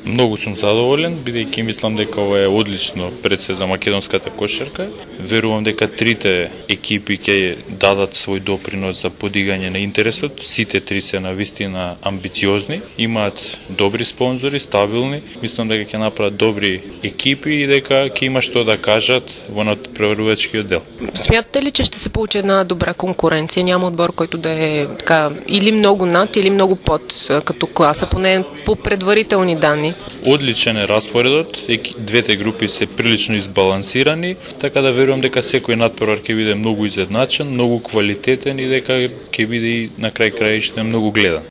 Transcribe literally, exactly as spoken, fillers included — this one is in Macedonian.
Многу сум задоволен, бидејќи мислам дека ова е одлично предсе за македонската кошарка. Верувам дека трите екипи ќе дадат свој допринос за подигање на интересот. Сите три се навистина амбициозни, имаат добри спонзори, стабилни. Мислам дека ќе направат добри екипи и дека ќе има што да кажат во надпреварувачкиот дел. Смятате ли, че ще се получи една добра конкуренција? Няма одбор којто да е така или многу над, или многу под като класа, поне по предварителни данни? Одличен е распоредот, двете групи се прилично избалансирани, така да верувам дека секој надпревар ќе биде многу изедначен, многу квалитетен и дека ќе биде и на крај краиште многу гледан.